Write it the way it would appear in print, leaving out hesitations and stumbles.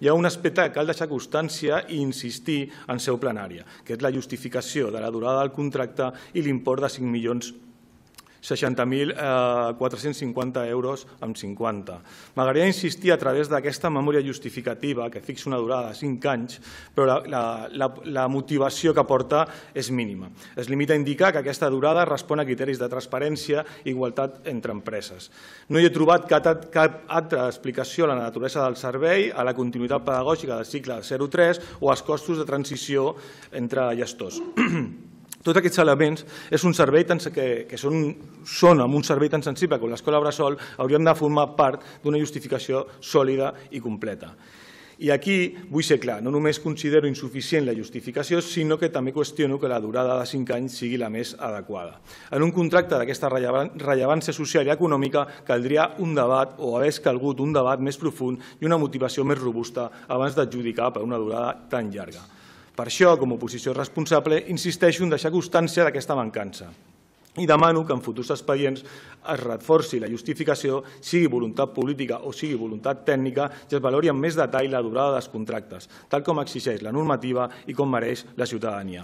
Hi ha un aspecte que cal deixar constància i insistir en seu plenària, que és la justificació de la durada del contracte i l'import de 5.060.450 euros amb 50. M'agradaria insistir a través d'aquesta memòria justificativa, que fixa una durada de 5 anys, però la motivació que porta és mínima. Es limita a indicar que aquesta durada respon a criteris de transparència i igualtat entre empreses. No hi he trobat cap altra explicació a la naturalesa del servei, a la continuïtat pedagògica del cicle 0-3 o als costos de transició entre gestors. Tots aquests elements és un servei que són amb un servei tan sensible com l'escola bressol haurien de formar part d'una justificació sòlida i completa. I aquí vull ser clar, no només considero insuficient la justificació, sinó que també qüestiono que la durada de 5 anys sigui la més adequada. En un contracte d'aquesta rellevància social i econòmica caldria un debat o hagués calgut un debat més profund i una motivació més robusta abans d'adjudicar per una durada tan llarga. Per això, com a oposició responsable, insisteixo en deixar constància d'aquesta mancança i demano que en futurs expedients es reforci la justificació, sigui voluntat política o sigui voluntat tècnica, i es valori amb més detall la durada dels contractes, tal com exigeix la normativa i com mereix la ciutadania.